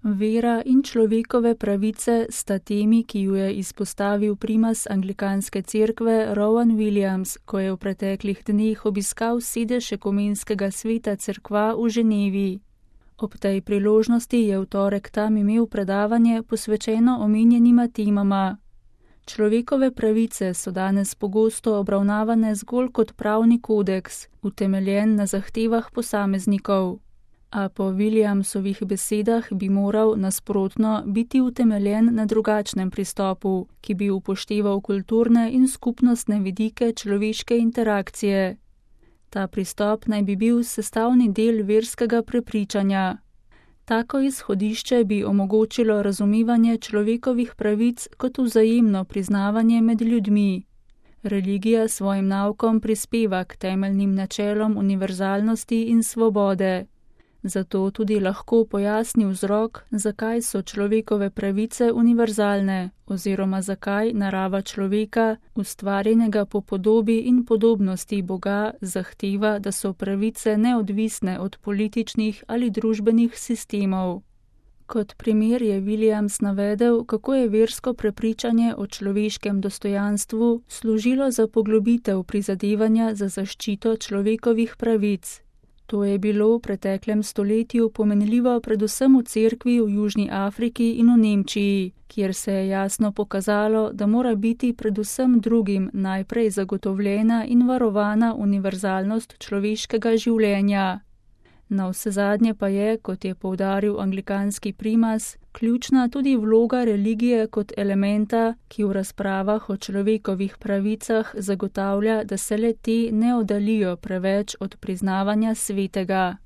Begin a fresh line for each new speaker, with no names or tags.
Vera in človekove pravice sta temi, ki ju je izpostavil primas anglikanske cerkve Rowan Williams, ko je v preteklih dneh obiskal sedež ekumenskega sveta cerkva v Ženevi. Ob tej priložnosti je v torek tam imel predavanje posvečeno omenjenima temama. Človekove pravice so danes pogosto obravnavane zgolj kot pravni kodeks, utemeljen na zahtevah posameznikov. A po Williamsovih besedah bi moral nasprotno biti utemeljen na drugačnem pristopu, ki bi upošteval kulturne in skupnostne vidike človeške interakcije. Ta pristop naj bi bil sestavni del verskega prepričanja. Tako izhodišče bi omogočilo razumevanje človekovih pravic kot vzajemno priznavanje med ljudmi. Religija svojim naukom prispeva k temeljnim načelom univerzalnosti in svobode. Zato tudi lahko pojasni vzrok, zakaj so človekove pravice univerzalne oziroma zakaj narava človeka, ustvarjenega po podobi in podobnosti Boga, zahteva, da so pravice neodvisne od političnih ali družbenih sistemov. Kot primer je Williams navedel, kako je versko prepričanje o človeškem dostojanstvu služilo za poglobitev prizadevanja za zaščito človekovih pravic. To je bilo v preteklem stoletju pomenljivo predvsem v cerkvi v Južni Afriki in v Nemčiji, kjer se je jasno pokazalo, da mora biti predvsem drugim najprej zagotovljena in varovana univerzalnost človeškega življenja. Navsezadnje pa je, kot je poudaril anglikanski primas, ključna tudi vloga religije kot elementa, ki v razpravah o človekovih pravicah zagotavlja, da se le te ne oddaljijo preveč od priznavanja svetega.